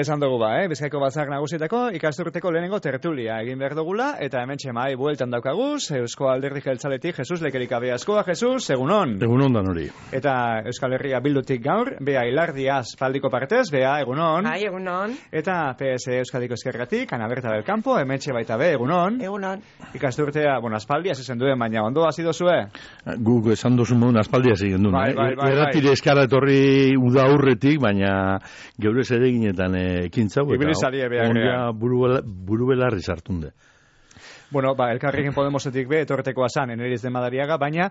esan dugu Bizkaiko Batzar Nagusietako ikasturteko lehenengo tertulia egin behar dugula, eta hemen txemai bueltan daukaguz, Eusko Alderdi Jeltzaletik Jesus Lekerik abeazkoa. Jesus, egunon. Egunon dan hori. Eta Euskal Herria Bildutik gaur, Bea Ilardiaz Paldiko partez, Bea, egunon. Bai, egunon. Eta PS Euskadiko Ezkerratik, Ana Berta del Campo, hemen baita be, egunon. Egunon. Ikasturtea, aspaldi hasi zen duen, baina ondo hasi dozue? Guk esan dozu modun aspaldi hasi gendun. Erratire eskara etorri uda aurretik, baina geure zereginetan ekintzau. Ibilizarie behar. Buru belarri sartunde. Elkarrekin Podemosetik be, etortekoa zan, Eneriz de Madariaga, baina,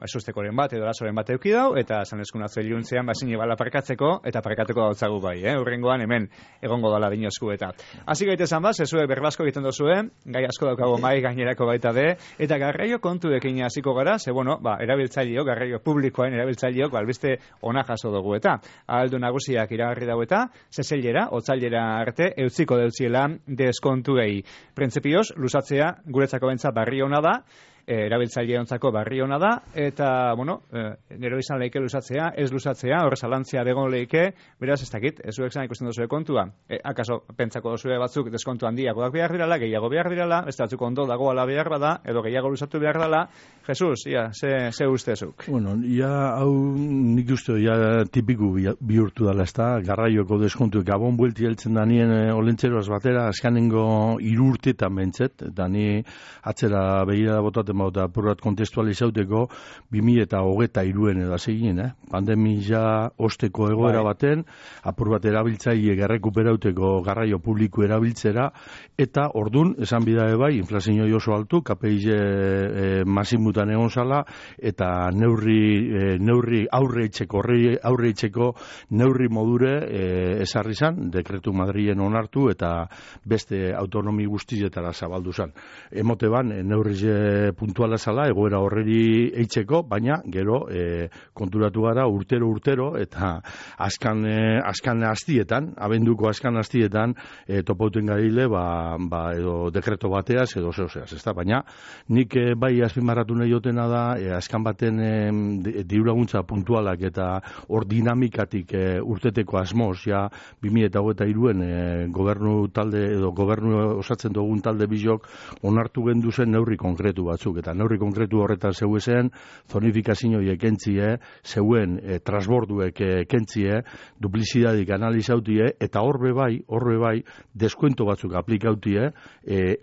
esustekoren bat, edo lasoren bat eukidau, eta zan eskunatzu eliuntzean, zine bala parkatzeko, eta parkatuko dautzagu bai, Urrengoan hemen egongo dala dinozku eta. Hasi gaitezan zezue berbasko egiten dozue, gai asko daukago mai gainerako baita be, eta garraio kontuekin hasiko gara, ze erabiltzaileok, garraio publikoen erabiltzaileok, albiste ona jaso dugu eta. Aldu nagusiak iragarri dau eta, zezelera, otzailera arte, eutziko deutziela deskontuei. Printzipioz, luzatzea guretzako bentza barri hona da, erabiltzaileontzako barri hona da, eta, nero izan leike luzatzea, ez luzatzea, hor zalantzia begon leike, beraz ez dakit, ez zuek zan ikusten dozue kontua. Akaso, pentsako dozue batzuk deskontu handiagoak behar dirala, gehiago behar dirala, ez batzuk ondo dagoala behar bada, edo gehiago luzatu behar dela. Jesus, ze ustezuk? Hau nik uste, tipiku bihurtu dela, ez da, garraioko deskontu, gabon buelti heltzen da nien olentzeroaz batera, askanengo 3 urteetan bentzet, eta ni atzera behira botaten bauta apurat kontestualizauteko 2023 edo segin, pandemia osteko egoera baten, apur bat erabiltzaile errekuperauteko garraio publiko erabiltzera, eta ordun, esan bidae bai, inflazio oso altu, KPI masimutan egon zala, eta neurri aurre etxeko neurri modure esarri zan, dekretu Madrilen onartu, eta beste autonomi guztietara zabaldu zan. Emote ban, neurri puntuala zala, egoera horreri eitzeko, baina gero konturatu gara urtero, eta askan hastietan, abenduko askan hastietan, topauten garile, edo dekreto bateaz, edo zeozeaz, ez da, baina nik bai azpimarratu nahi jotena da, askan baten dirulaguntza puntualak eta hor dinamikatik urteteko asmoz, 2023 gobernu talde, edo gobernu osatzen dugun talde bizok, onartu gendu zen neurri konkretu batzuk, eta neurri konkretu horretan zeuezen, zonifikazioiek kentzie, zeuen transborduek kentzie, duplizidadik analizautie, eta horbe bai, deskuento batzuk aplikautie,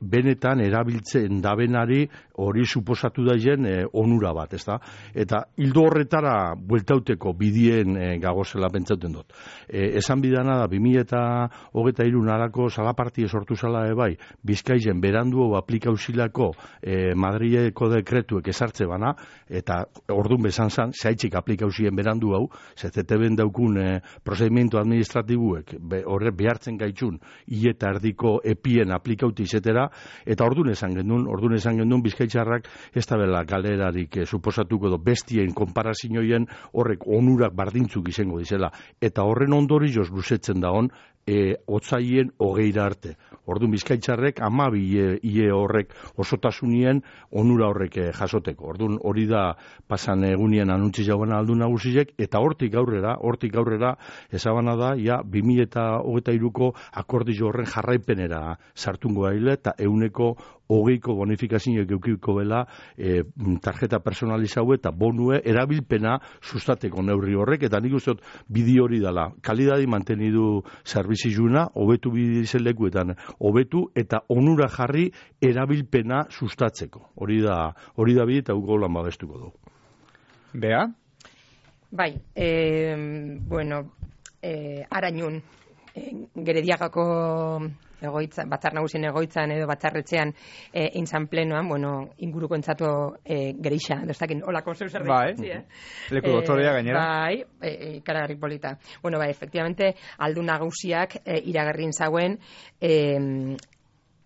benetan erabiltzen dabenari hori suposatu daien onura bat, ezta? Eta hildo horretara bueltauteko bidien gagozela pentsauten dut. Esan bidana da, 2023 narako salapartie sortu zala bai, Bizkaizen berandu aplikausilako Madrileko dekretuek esartze bana, eta ordun bezan zan, zehaitzik aplikauzien berandu hau, ZTB-en daukun prozedimiento administratibuek horre behartzen gaitxun, eta erdiko epien aplikauti izetera, eta ordun esan gendun Bizkaitzarrak ez da bela galerarik suposatuko edo bestien konparazioien horrek onurak bardintzuk izango dizela, eta horren ondorioz luzetzen da hon, otzaien 20 arte. Orduan Bizkaitzarrek 12 ie horrek osotasunien onura horrek jasoteko. Orduan hori da pasan egunien anuntzi jauen aldu nagusiek, eta hortik aurrera ezabana da, 2023ko akordio horren jarraipenera sartungo gaile, eta 120ko bonifikazioek eukiko bela tarjeta personalizau eta bonue erabilpena sustateko neurri horrek, eta nik uste bideo hori dela. Kalidadi mantenidu zerbizizuna, hobetu bidizelekuetan, hobetu eta onura jarri erabilpena sustatzeko. Hori da bide eta uko lan babestuko du. Bea? Bai, Arañun, Gerediagako egoitza, batzar nagusien egoitzan edo batzarretxean intzan plenoan, inguruko entzato gerixa, doztakin, holako zeu zer ditzi, leku doktorea gainera. Bai, ikaragarrik polita. Efectivamente, aldu nagusiak iragarrin zauen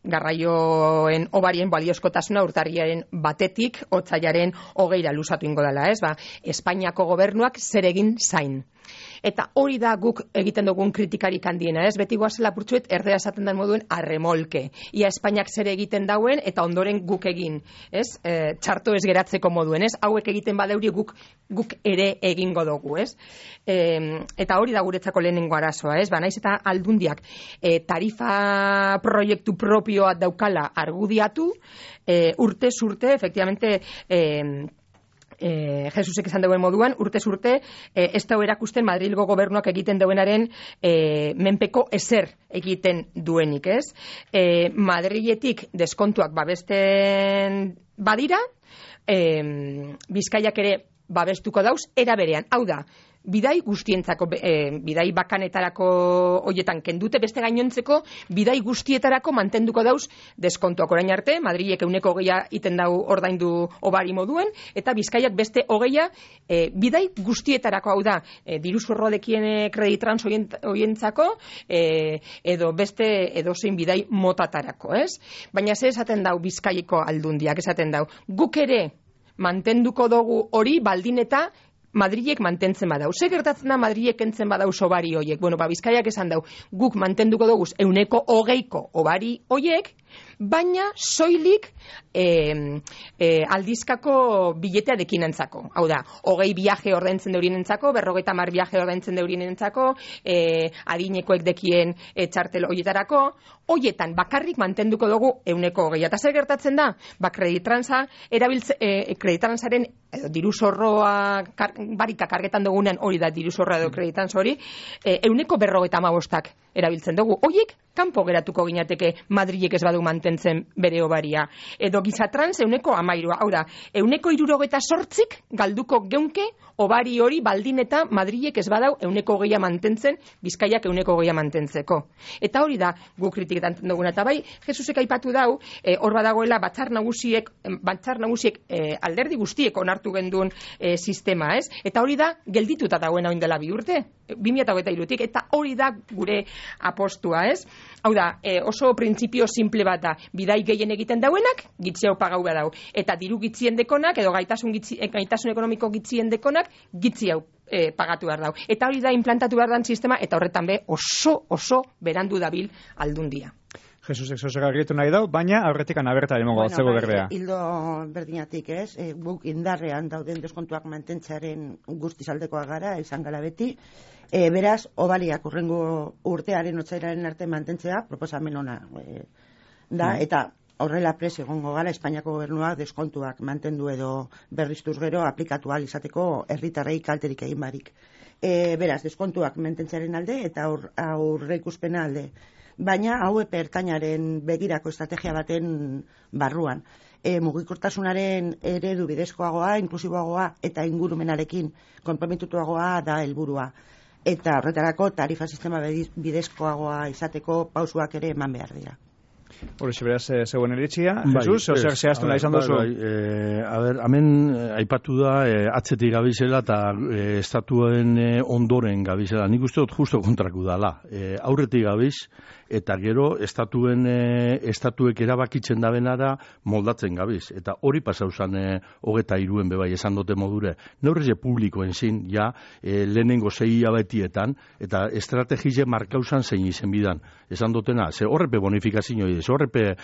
garraioen obarien baliozkotasuna urtarriaren 1 otsailaren 20 luzatu ingo dela, ez? Espainiako gobernuak zer egin zain. Eta hori da guk egiten dugun kritikarik handiena, ez? Beti goazela purtsuet erdea esaten den moduen arremolke. Ia Espainiak zer egiten dauen eta ondoren guk egin, ez? Txarto ez geratzeko moduen, ez? Hauek egiten badeuri guk ere egingo dugu, ez? Eta hori da guretzako lehenengo arazoa, ez? Naiz eta aldundiak tarifa proiektu propioa daukala argudiatu, urtez urte, efectivamente, Jesusek esan duen moduan, urtez urte, ez da erakusten Madrilgo gobernuak egiten duenaren menpeko ezer egiten duenik, ez? Madriletik deskontuak babesten badira, Bizkaiak ere babestuko dauz, era berean. Hau da, bidai guztientzako, bidai bakanetarako hoietan kendute, beste gainontzeko bidai guztietarako mantenduko dauz deskontuak. Orain arte, Madrilek 120 iten dau ordaindu obari moduen, eta Bizkaiak beste 20 bidai guztietarako, hau da, diru zorrodekien kreditrans hoientzako, edo beste edozein bidai motatarako, ez? Baina ze esaten dau Bizkaiko aldundiak, esaten dau, guk ere mantenduko dugu hori baldin eta Madrilek mantentzen badau. Ze gertatzen da Madrilek kentzen badau obari hoiek? Bueno, Bizkaiak esan dau, guk mantenduko dugu 120 obari hoiek, baina soilik aldizkako biletea dekinentzako. Hau da, 20 viaje ordaintzen deurinentzako, 50 viaje ordaintzen deurinentzako, adinekoek dekien txartel hoietarako, hoietan bakarrik mantenduko dugu 120. Eta zer gertatzen da? Kreditransaren diru zorroa barika kargetan dugunean, hori da diru zorroa edo kreditrans hori, 150 erabiltzen dugu. Hoiek kanpo geratuko ginateke Madrilek ez badu mantentzen bere obaria. Edo gizatrans 113. Hau da, 168 galduko geunke obari hori baldin eta Madrilek ez badau 120 mantentzen, Bizkaiak 120 mantentzeko. Eta hori da guk kritiketan duguna. Eta bai, Jesusek aipatu dau, hor badagoela batzar nagusiek alderdi guztiek onartu genduen sistema, ez? Eta hori da geldituta dagoen hain dela 2 urte, 2023-tik, eta hori da gure apostua, ez? Hau da, oso printzipio simple bat da, bidai gehien egiten dauenak, gitzi hau pagau behar dau. Eta diru gitzien dekonak, edo gaitasun ekonomiko gitzien dekonak, gitzi hau pagatu behar dau. Eta hori da implantatu behar dan sistema, eta horretan be oso berandu dabil aldundia. Jesusek zozera argitu nahi dau, baina aurretik anaberta emongo batzego berdea. Hildo berdinatik, ez? Guk indarrean dauden deskontuak mantentzaren guztizaldekoa gara, izan gara beti. Beraz, obaliak urrengo urtearen otsailaren arte mantentzea proposamen ona da, eta horrela prest egongo gara Espainiako gobernuak deskontuak mantendu edo berriztuz gero aplikatu ahal izateko herritarrei kalterik egin barik. Beraz, deskontuak mantentzearen alde eta aurreikuspena alde. Baina hau epe ertainaren begirako estrategia baten barruan. Mugikortasunaren eredu bidezkoagoa, inklusiboagoa eta ingurumenarekin konprometituagoa da helburua. Eta horretarako tarifa sistema bidezkoagoa izateko pausuak ere eman behar dira. Horixe beraz, zegoen eritxia. Jesus, zer zehaztu nahi izan duzu? Hemen aipatu da atzetik gabizela eta estatuen ondoren gabizela. Nik uste dut justo kontraku dala. Aurretik gabiz eta gero estatuek erabakitzen da benara moldatzen gabiz. Eta hori pasau zan 23 bebai esan dute modure. Neurreze publikoen zin, ja, lehenengo 6 hilabetietan, eta estrategize markauzan zein izen bidan. Esan dutena, ze horrepe bonifikazio ez horrepe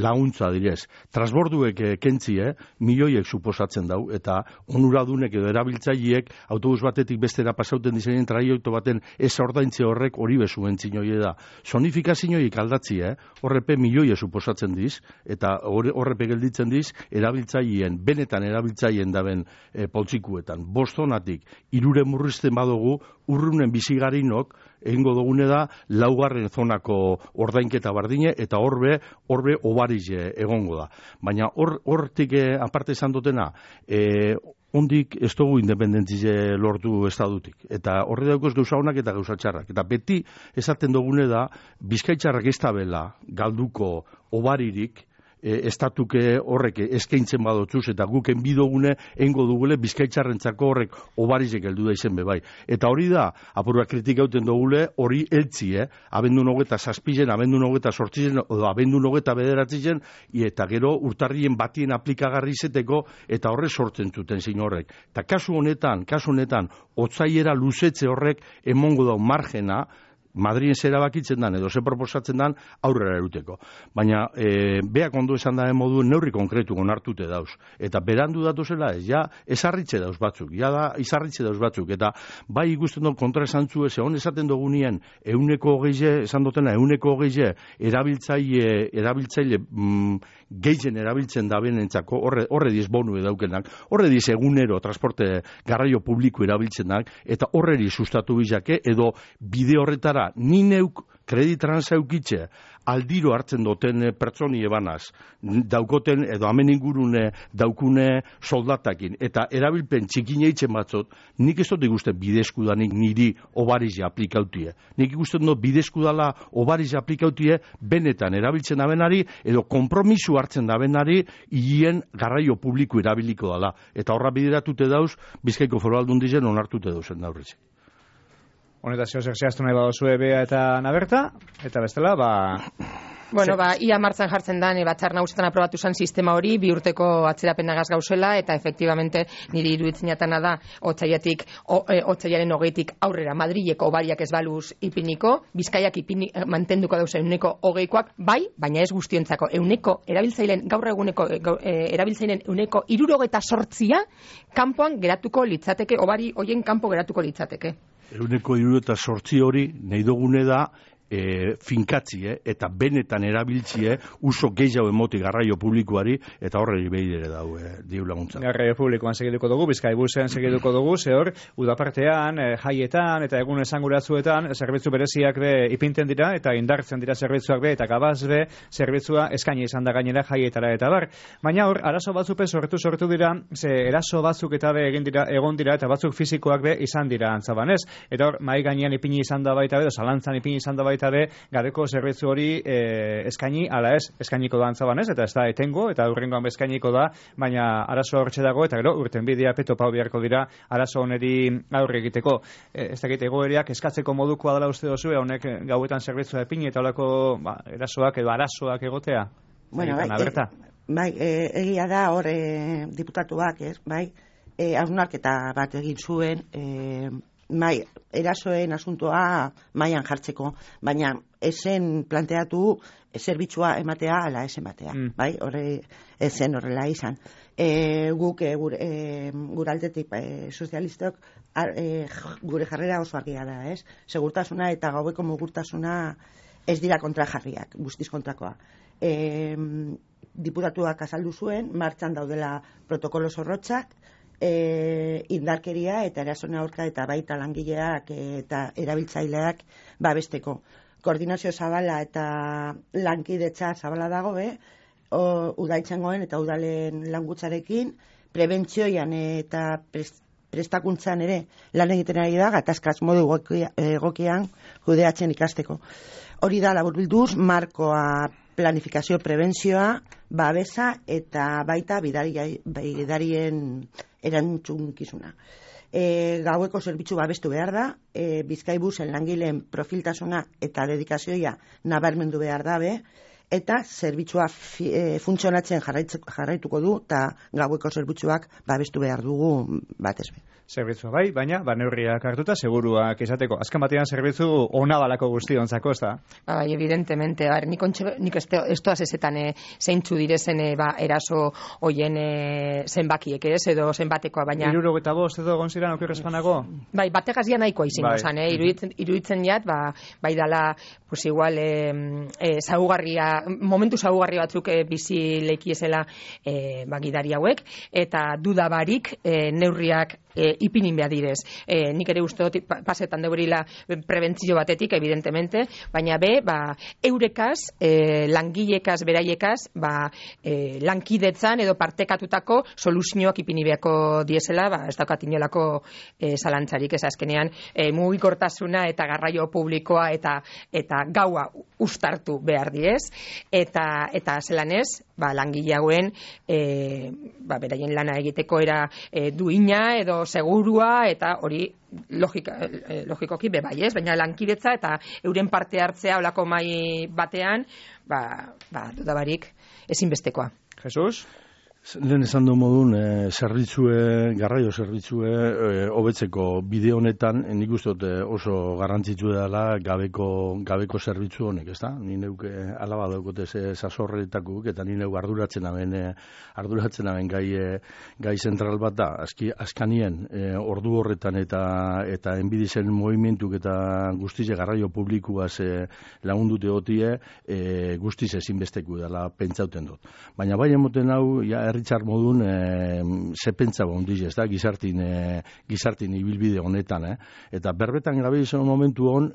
launtza direz. Transborduek kentzie, milioiek suposatzen dau, eta onuradunek edo erabiltzaileek autobus batetik bestera pasauten dizeinen traioito baten ez ordaintze horrek hori bezuen zinoi da. Sonifikazioik aldatzi, horrepe milioie suposatzen diz, eta horrepe gelditzen diz, erabiltzaileen, benetan erabiltzaileen daben poltsikuetan. Bostonatik, 3 murrizten badugu, urrunen bizigarinok, egingo dugune da, 4. zonako ordainketa bardine, eta horbe obarize egongo da. Baina hortik aparte esan dutena, ondik ez dugu independentzize lortu estadutik. Eta horre daukoz gauza honak eta gauza txarrak. Eta beti esaten dugune da, Bizkaitxarrak ez tabela galduko obaririk, estatuke horrek eskaintzen badotzuz, eta guken bidogune eingo dugule bizkaitzarrentzako horrek obarizek heldu da izen bebai. Eta hori da, apurua kritikauten dugule, hori eltzi, abendun 27, abendun 28, edo abendun 29, eta gero urtarrien batien aplikagarri izeteko, eta horre sortzen zuten zein horrek. Eta kasu honetan, otzaiera luzetze horrek emongo dau margena, Madrien zera bakitzen dan, edo ze proposatzen dan, aurrera eruteko. Baina, beak ondo esan da modu neurri konkretu onartute dauz. Eta berandu datuzela ez, ja, esarritze dauz batzuk, eta bai ikusten dut kontra esan zu ez, egon esaten dugunien, 120, esan dutena, 120 erabiltzaile gehien erabiltzen da benentzako, horre diz bonu edaukenak, horre diz egunero transporte garraio publiko erabiltzenak, eta horreri sustatu bizake, edo bide horretara ni neuk kreditran zeukitxe aldiro hartzen duten pertsoni ebanaz, daukoten edo hemen ingurune daukune soldatakin, eta erabilpen txikine eitzen batzot, nik ez dut ikusten bidezkudanik niri obarize aplikautie. Nik ikusten dut bidezkudala obarize aplikautie benetan erabiltzen dabenari, edo kompromisu hartzen dabenari, hien garraio publiko erabiliko dala. Eta horra bideratute dauz, Bizkaiko Foru Aldundizen onartute dauzen daurritze. Honetazio zehaztu nahi badozue Bea eta Naberta, eta bestela, Bueno, ia martzan jartzen da, batzar nagusietan aprobatu zen sistema hori, 2 urteko atzerapenagaz gauzela, eta efektibamente niri iruditzen jatana da, otsailaren 20tik aurrera Madrileko obariak ez baluz ipiniko, Bizkaiak mantenduko dauzen 120koak, bai, baina ez guztiontzako, gaur eguneko erabiltzaileen 168 kanpoan geratuko litzateke, obari hoien kanpo geratuko litzateke. 168 hori nahi dugune da finkatzie eta benetan erabiltzie uso gehiago emoti garraio publikoari eta horreri behidere dau diru laguntza. Garraio publikoan segituko dugu, Bizkaibusen segituko dugu, zehor, udapartean, jaietan eta egun esanguratzuetan zerbitzu bereziak be ipinten dira eta indartzen dira zerbitzuak be eta gabaz be zerbitzua eskaini izan da gainera jaietara eta bar. Baina hor, arazo batzupe sortu dira, ze eraso batzuk eta be egon dira eta batzuk fisikoak be izan dira antzabanez. Eta hor, mai gainean ipini izan da baita be, zalantzan ipini izan da baita be, gareko zerbitzu hori eskaini, ala ez, eskainiko da antzabanez, eta ez da etengo, eta hurrengoan eskainiko da, baina arazo hortxe dago, eta gero, urten bidea petopau beharko dira, arazo honeri aurre egiteko. Ez dakit, egoeriak eskatzeko modukoa dela uste dozu, honek gauetan zerbitzua epini, eta holako erasoak edo arazoak egotea? Bueno, egia da hor diputatuak, bai, hausnarketa bat egin zuen, erasoen asuntoa mailan jartzeko, baina esen planteatu zerbitzua ematea ala ez ematea, bai, horre esen horrela izan. Guk gure aldetik sozialistok gure jarrera oso argia da, ez? Segurtasuna eta gaueko mugurtasuna ez dira kontrajarriak, guztiz kontrakoa. Diputatuak azaldu zuen, martxan daudela protokolo zorrotzak, indarkeria eta erasona aurka eta baita langileak eta erabiltzaileak babesteko. Koordinazio zabala eta lankidetza zabala dago, udaltzaingoen eta udalen langutzarekin, prebentzioian eta prestakuntzan ere lan egiten ari da, gatazkaz modu egokian kudeatzen ikasteko. Hori da laburbilduz, markoa, planifikazio, prebentzioa, babesa eta baita bidarien erantzunkizuna. Gaueko zerbitzu babestu behar da, Bizkaibusen langileen profiltasuna eta dedikazioa nabarmendu behar dabe, eta zerbitzua funtzionatzen jarraituko du, eta gaueko zerbitzuak babestu behar dugu batez be. Zerbitzua bai, baina neurriak hartuta seguruak izateko. Azken batean zerbitzu ona balako guztiontzako, ez da? Bai, evidentemente. Nik ez toaz ezetan zeintzu direzen eraso hoien zenbakiek, ez? Edo zenbatekoa, baina... 75 edo egon ziren okerrezpanago? Bai, bategaz ia nahikoa izango zan, iruditzen jat, bai dala, pues igual, momentu zaugarri batzuk bizi leikiezela gidari hauek, eta dudabarik neurriak ipinin behar direz. Nik ere uste dut pasetan deurila prebentzio batetik, evidentemente, baina eurekaz, langilekaz, beraiekaz, lankidetzan edo partekatutako soluzioak ipini beharko diesela, ez daukat inolako zalantzarik, ez azkenean mugikortasuna eta garraio publikoa eta gaua uztartu behar direz, eta zelan ez, langile hauen beraien lana egiteko era duina edo segurua, eta hori logikoki bebai, ez? Baina lankidetza eta euren parte hartzea olako mai batean, dudabarik ezinbestekoa. Jesus? Lehen esan du modun, garraio zerbitzue hobetzeko bide honetan, nik uste dut oso garrantzitsu dela gabeko zerbitzu honek, ez da? Ni neuk alaba daukote sasorretakuk, eta ni neuk arduratzen aben gai zentral bat da, askanien ordu horretan eta enbidizen movimentuk eta guztize garraio publikuaz lagundute hotie, guztiz ezinbesteku dela pentsauten dut. Baina bai emoten hau, herritzar modun ze pentsa bondiz, ez da, gizartin ibilbide honetan, eta berbetan gabe izan momentu hon,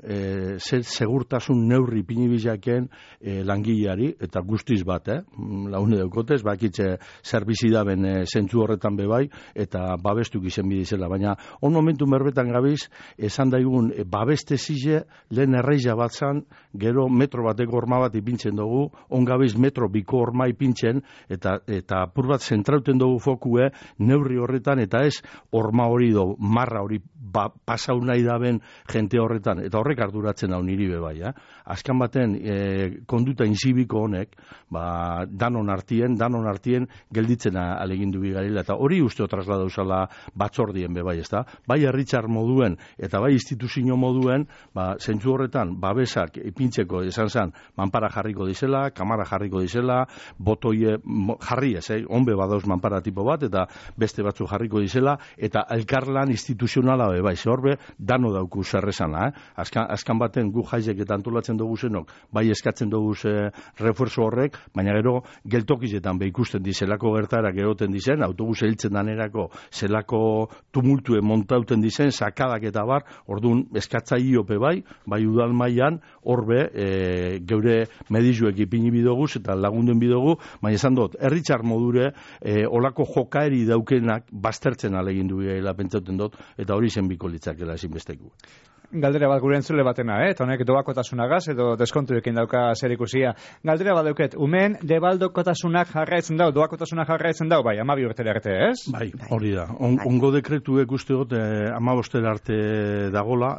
segurtasun neurri pinibizaken langileari, eta guztiz bat, laune daukotez, bakitze zerbizidaben zentzu horretan bebai, eta babestuk izen bidizela, baina on momentu berbetan gabiz, esan daigun, babeste zize, lehen erreiza bat zan, gero metro bateko horma bat ipintzen dugu, on gabiz metro biko horma ipintzen, eta bat zentrauten dugu fokue neurri horretan, eta ez horma hori do, marra hori pasau nahi daben jente horretan, eta horrek arduratzen hau niri bebai. Azkan baten konduta inzibiko honek, danon artien gelditzen alegindu bigarila, eta hori usteo trasladau zala batzordien bebai, ez da? Bai herritzar moduen, eta bai instituzio moduen, zentzu horretan, babesak ipintzeko esan zan, manpara jarriko dizela, kamara jarriko dizela, botoie jarri ez, onbe badauz manpara tipo bat, eta beste batzu jarriko dizela, eta elkarlan instituzionala bai, horbe, dano dauku zerrezana, azkan baten gu jaizek eta antolatzen dugu zenok, bai eskatzen dugu refuerzo horrek, baina gero geltokizetan ikusten dizelako gertarak egoten dizen, autobus hiltzen danerako zelako tumultue montauten dizen, sakadak eta bar, orduan eskatzaiope bai udal mailan horbe geure medizuek ipini bidoguz eta lagunden bidogu, baina esan dut, herritzar modure olako jokaeri daukenak baztertzen alegindu bila pentsauten dut, eta hori zen biko litzakela ezinbesteku. Galdera bat gure entzule batena, eta honek doakotasunagaz edo deskontuekin dauka zer ikusia. Galdera bat dauket, umen debaldokotasunak jarraitzen dau, doakotasunak jarraitzen dau, bai, 12 urtera arte, ez? Bai, hori da. Ongo dekretuek uste dut 15 arte dagola,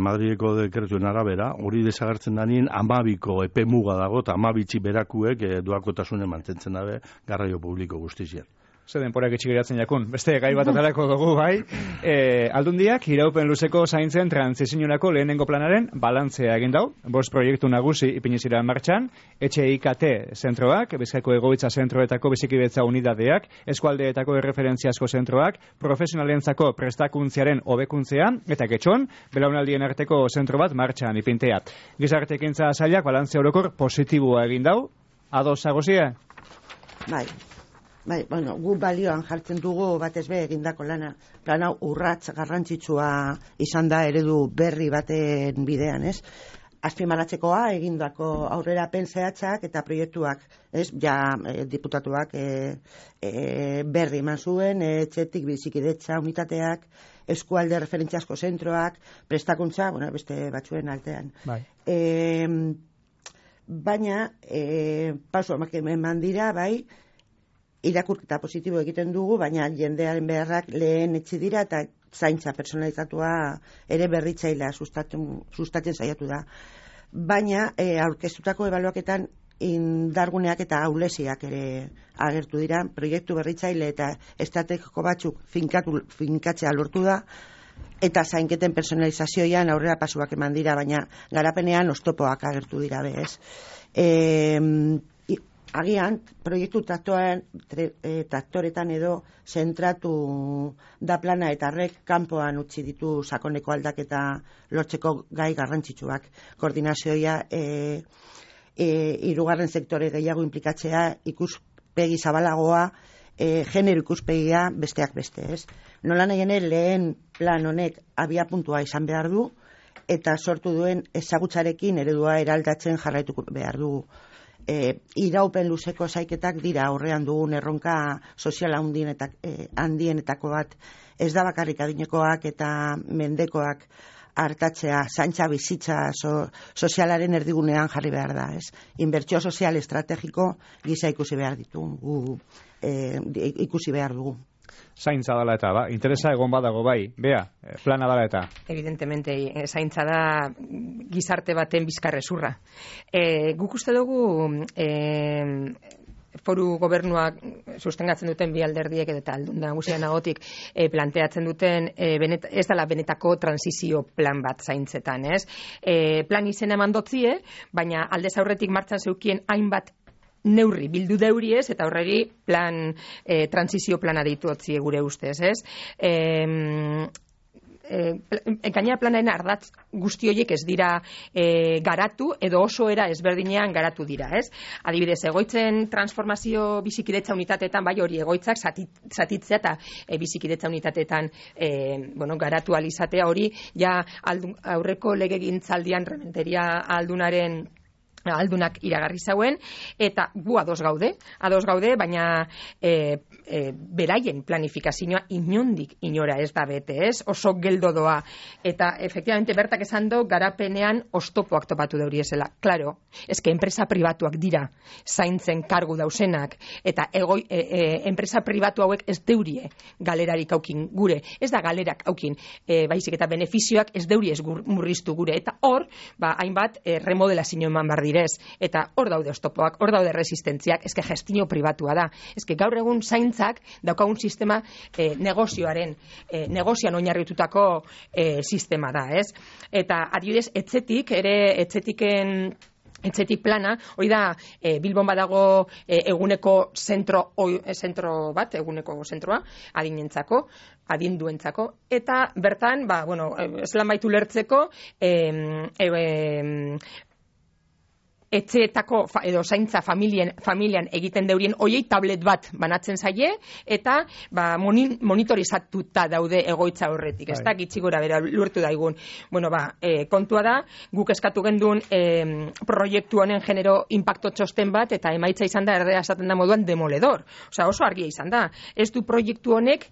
Madrideko dekretuen arabera, hori desagertzen danien 12ko epe muga dago, eta 12 berakuek doakotasunen mantentzen dabe garraio publiko guztizien. Zer denporak itxigiratzen jakun. Beste gai bat atarako dugu, bai. Aldundiak, iraupen luzeko zaintzen trantzizionako lehenengo planaren balantzea egin dau. 5 proiektu nagusi ipinizira martxan, etxe IKT zentroak, Bizkaiko egoitza zentroetako bizikidetza unidadeak, eskualdeetako erreferentziazko zentroak, profesionalentzako prestakuntziaren hobekuntzea, eta getxon, belaunaldien arteko zentro bat martxan ipintea. Gizartekintza sailak balantzea orokor positiboa egin dau. Ados agozia? Bai, gu balioan jartzen dugu batez be egindako lana. Plan hau urrats garrantzitsua izan da eredu berri baten bidean, ez? Azpimarratzekoa egindako aurrerapen zehatzak eta proiektuak, ez? Diputatuak berri eman zuen, etxetik bizikidetza unitateak, eskualde referentziazko zentroak, prestakuntza, beste batzuen altean. Bai. Baina, paso eman dira, bai, irakurketa positibo egiten dugu, baina jendearen beharrak lehen etzi dira eta zaintza personalizatua ere berritzailea sustatzen saiatu da. Baina aurkeztutako ebaluaketan indarguneak eta ahuleziak ere agertu dira, proiektu berritzaile eta estrategiko batzuk finkatzea lortu da, eta zainketen personalizazioan aurrera pasuak eman dira, baina garapenean oztopoak agertu dira bez. Agian, proiektu traktoretan edo zentratu da plana eta horrek kanpoan utzi ditu sakoneko aldaketa lortzeko gai garrantzitsuak. Koordinazioa, hirugarren sektore gehiago inplikatzea, ikuspegi zabalagoa, genero ikuspegia besteak beste, ez? Nola nahi lehen plan honek abia puntua izan behar du, eta sortu duen ezagutzarekin eredua eraldatzen jarraituko behar dugu. Iraupen luzeko zaiketak dira aurrean dugun erronka soziala handienetako bat. Ez da bakarrik adinekoak eta mendekoak hartatzea, zaintza bizitza sozialaren erdigunean jarri behar da, ez? Inbertsio sozial estrategiko gisa ikusi behar dugu. Zaintza dela eta, interesa egon badago bai, plana dela eta. Evidentemente, zaintza da gizarte baten bizkarrezurra. Guk uste dugu foru gobernuak sustengatzen duten bi alderdiek eta aldun nagusia nagotik planteatzen duten ez dela benetako transizio plan bat zaintzetan, ez? Plan izena eman dotzie, baina aldez aurretik martxan zeukien hainbat neurri bildu deuriez eta horreri plan transizio plana deitu otzie gure ustez, ez? Gainera planaren ardatz guzti horiek ez dira garatu edo oso era ezberdinean garatu dira, ez? Adibidez, egoitzen transformazio bizikidetza unitateetan, bai hori egoitzak zatitzea eta bizikidetza unitateetan garatu alizatea hori, ja aurreko legegintzaldian Rementeria aldunak iragarri zauen, eta gu ados gaude, baina beraien planifikazioa inondik inora ez da bete, ez? Oso geldo doa, eta efectivamente bertak esan do garapenean oztopoak topatu deuri esela. Claro, eske enpresa pribatuak dira zaintzen kargu dausenak, eta enpresa pribatu hauek ez deurie galerarik aukin gure, ez da galerak aukin, baizik eta benefizioak ez deuri ez murriztu gure, eta hor, hainbat remodelazio eman bar eta hor daude oztopoak, hor daude resistentziak, eske gestio pribatua da. Eske gaur egun zaintzak daukagun sistema negozioan oinarritutako sistema da, ez? Eta adibidez, etxetik plana, hori da Bilbon badago eguneko zentroa, adinduentzako, eta bertan, eslan baitu lertzeko, etxeetako edo zaintza familian egiten deurien hoiei tablet bat banatzen zaie eta monitorizatuta daude egoitza horretik, ez da gitxi gora bera lurtu daigun. Kontua da, guk eskatu gendun proiektu honen genero impacto txosten bat eta emaitza izan da erdea esaten da moduan demoledor. Oso argia izan da. Ez du proiektu honek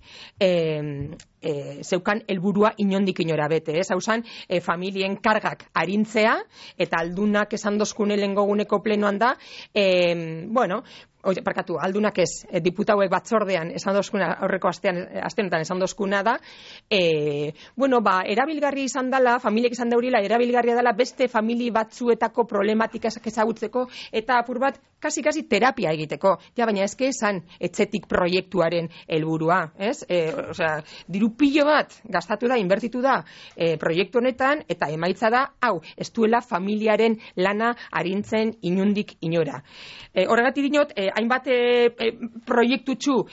zeukan helburua inondik inora bete, ez? Hau zan, familien kargak arintzea, eta aldunak esan dozkune lengoguneko plenoan da, aldunak ez, diputauek batzordean esan dozkuna, aurreko astenetan esan dozkuna da, erabilgarri izan dela, familiek izan daurila, erabilgarria dela beste famili batzuetako problematikak ezagutzeko, eta apur bat, kasi terapia egiteko. Baina ezke esan etxetik proiektuaren helburua, ez? Diru pilo bat gastatu da, inbertitu da proiektu honetan, eta emaitza da, ez duela familiaren lana arintzen inundik inora. Horregatik dinot, hainbat proiektutxu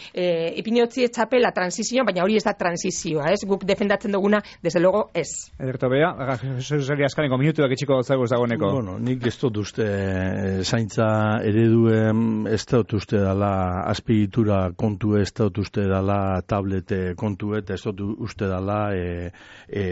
ipinotzi etxapela transizioa, baina hori ez da transizioa, ez? Guk defendatzen duguna, desde logo, ez. Ederto bea, Joseli azkaneko minutuak etxiko zagoz dagoeneko. Nik ez dut uste zaintza ereduen, ez dut uste dala azpigitura kontu, ez dut uste dala tablete kontu, ez dut uste dala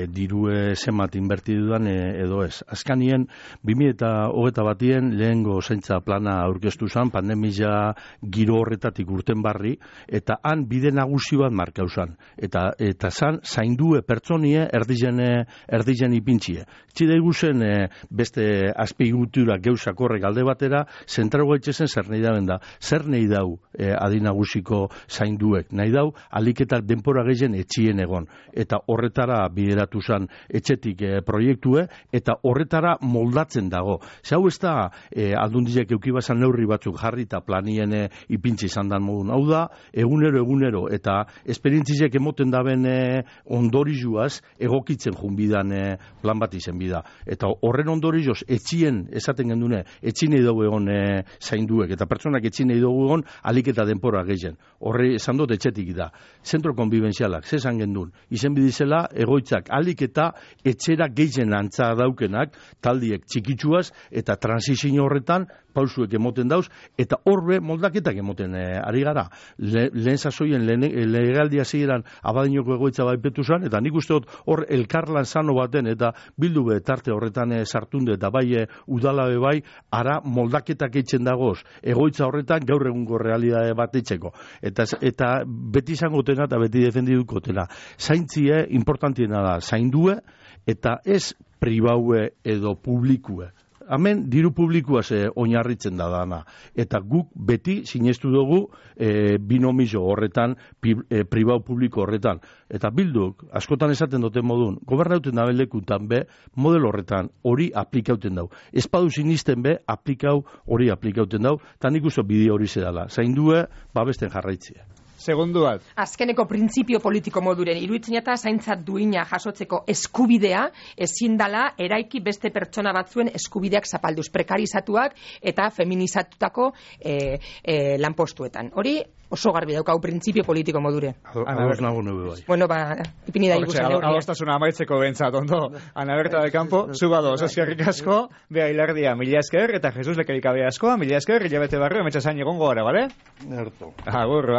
dirue zemat inbertidudan edo ez. Azkanien, 2021 lehengo zaintza plana aurkeztu zen, pandemia giro horretatik urten barri, eta han bide nagusi bat markau zen. Eta zan, zaindue pertsonie erdizen ipintxie. Txide iguzen beste azpigutura geusak horrek alde batera, zentrago etxezen zer nahi dauen da. Zer nahi dau adinagusiko zainduek. Nahi dau, aliketak denpora gehien etxien egon. Eta horretara bideratu zen etxetik proiektue, eta horretara moldatzen dago. Zau ez da, aldundiak eukibazan neurri batzuk jarri eta planien ipintzi izan dan modun. Hau da, egunero, eta esperientziak emoten daben ondorizuaz egokitzen junbidan plan bat izen bida. Eta horren ondorizoz, etxien, esaten gendune, etxin nahi dugu egon zainduek, eta pertsonak etxin nahi dugu egon alik eta denpora gehien. Horre esan dut etxetik da. Zentro konbibenzialak, zesan gendun, izen bidizela egoitzak alik eta etxera gehien antza daukenak, taldiek txikitsuaz, eta transizio horretan pausuek emoten dauz, eta horbe moldaketak emoten ari gara. Lehen sasoien, legaldia ziren Abadiñoko egoitza baipetu zan, eta nik uste dut hor elkarlan sano baten, eta bildu be tarte horretan sartunde, eta bai udalabe bai, ara moldaketak eitzen dagoz, egoitza horretan gaur egungo realidade bat eitzeko. Eta beti izangotena eta beti defendidukotena. Zaintzie importantiena da, zaindue, eta ez pribaue edo publikue. Hemen diru publikoa oinarritzen da dana. Eta guk beti sinestu dugu binomio horretan, pribau publiko horretan. Eta bilduk, askotan esaten duten modun, gobernauten da belekutan be, model horretan hori aplikauten dau. Espadu sinisten be, hori aplikauten dau, eta nik uste bide hori zedala. Zaindue, babesten jarraitzea. Segundu bat. Azkeneko printzipio politiko moduren, iruditzen eta zaintzat duina jasotzeko eskubidea, ezin dala eraiki beste pertsona batzuen eskubideak zapalduz, prekarizatuak eta feminizatutako lanpostuetan. Hori oso garbi daukau printzipio politiko modure. Ados nago nube bai. Bueno, ipini da igusan eurria. Adostasuna amaitzeko bentsat, ondo. Ana Berta del Campo, zubado, eskerrik asko, bea hilardia, mila esker, eta Jesus lekerikabea askoa, mila esker, hilabete barrio, metxasain egongo gara, bale? Erto. Agur,